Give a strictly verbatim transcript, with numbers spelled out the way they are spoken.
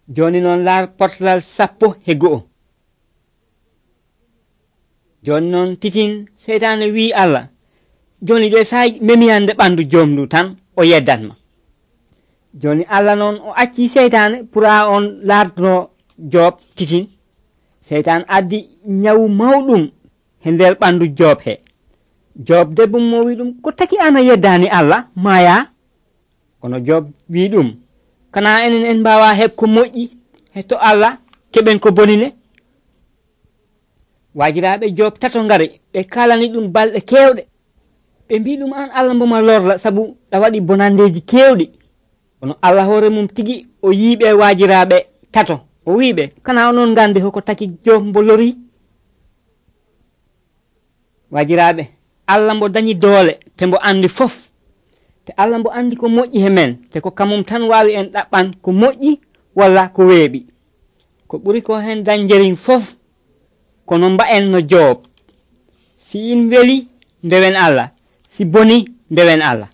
joni noon laar portalal sappo e go'o. joni noon titin seytane wi Allah joni de say memiyande ɓandu jomndu tan o yeddatma. joni Allah noon o acci seytane pour a on larduno Job titin. seytane addi nyawu mawɗum e nder ɓandu Job he. Job debbo mo wi ɗum ko taki an a yeddani Allah maya. kono Job wi ɗum kana enen en mbawa heb ko moƴƴi hetto Allah keɓen ko bonine. wajiraɓe Job tato ngari ɓe kalani ɗum balɗe kewɗe ɓe mbi ɗum an Allah mboma lorla sabu a waɗi bonandeji kewɗi. kono Allah hoore mum tigi o yiiɓe wajiraɓe tato o wiɓe kana onon gandi hoko taki Job mbo lori. wajiraɓe Allah mbo dañi doole te mbo andi fof, te Allah mbo andi ko moƴƴi he men te ko kamum tan wawi en ɗaɓɓan ko moƴƴi walla ko weeɓi. ko ɓuri ko hen dañjerin fof kono mbaen no Job, si in weli ndewen Allah, si boni ndewen Allah.